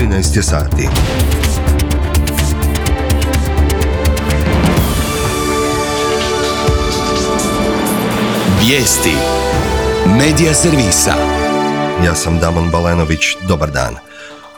13 je sati. Vijesti Medija servisa. Ja sam Damon Balenović, dobar dan.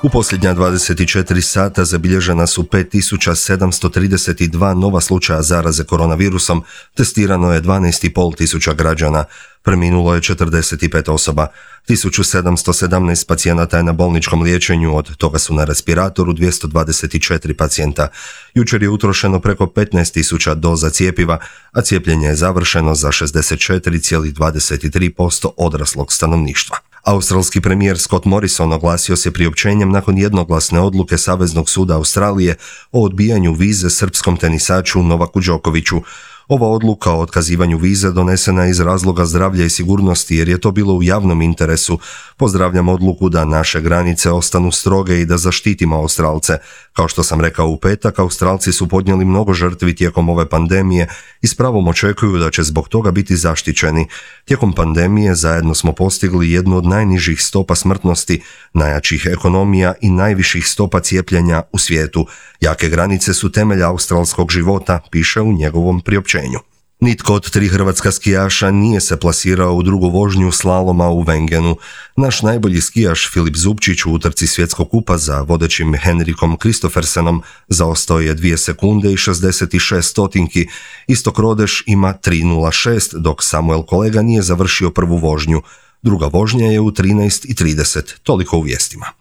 U posljednja 24 sata zabilježena su 5732 nova slučaja zaraze koronavirusom, testirano je 12,5 tisuća građana, preminulo je 45 osoba, 1717 pacijenata je na bolničkom liječenju, od toga su na respiratoru 224 pacijenta. Jučer je utrošeno preko 15.000 doza cjepiva, a cijepljenje je završeno za 64,23% odraslog stanovništva. Australski premijer Scott Morrison oglasio se priopćenjem nakon jednoglasne odluke Saveznog suda Australije o odbijanju vize srpskom tenisaču Novaku Đokoviću. Ova odluka o otkazivanju vize donesena je iz razloga zdravlja i sigurnosti jer je to bilo u javnom interesu. Pozdravljam odluku da naše granice ostanu stroge i da zaštitimo Australce. Kao što sam rekao u petak, Australci su podnijeli mnogo žrtvi tijekom ove pandemije i s pravom očekuju da će zbog toga biti zaštićeni. Tijekom pandemije zajedno smo postigli jednu od najnižih stopa smrtnosti, najjačih ekonomija i najviših stopa cijepljenja u svijetu. Jake granice su temelj australskog života, piše u njegovom priopćenju. Nitko od 3 hrvatska skijaša nije se plasirao u drugu vožnju slaloma u Wengenu. Naš najbolji skijaš Filip Zubčić u utrci svjetskog kupa za vodećim Henrikom Kristoffersenom zaostao je 2 sekunde i 66 stotinki. Istok Rodeš ima 3.06, dok Samuel Kolega nije završio prvu vožnju. Druga vožnja je u 13.30. Toliko u vijestima.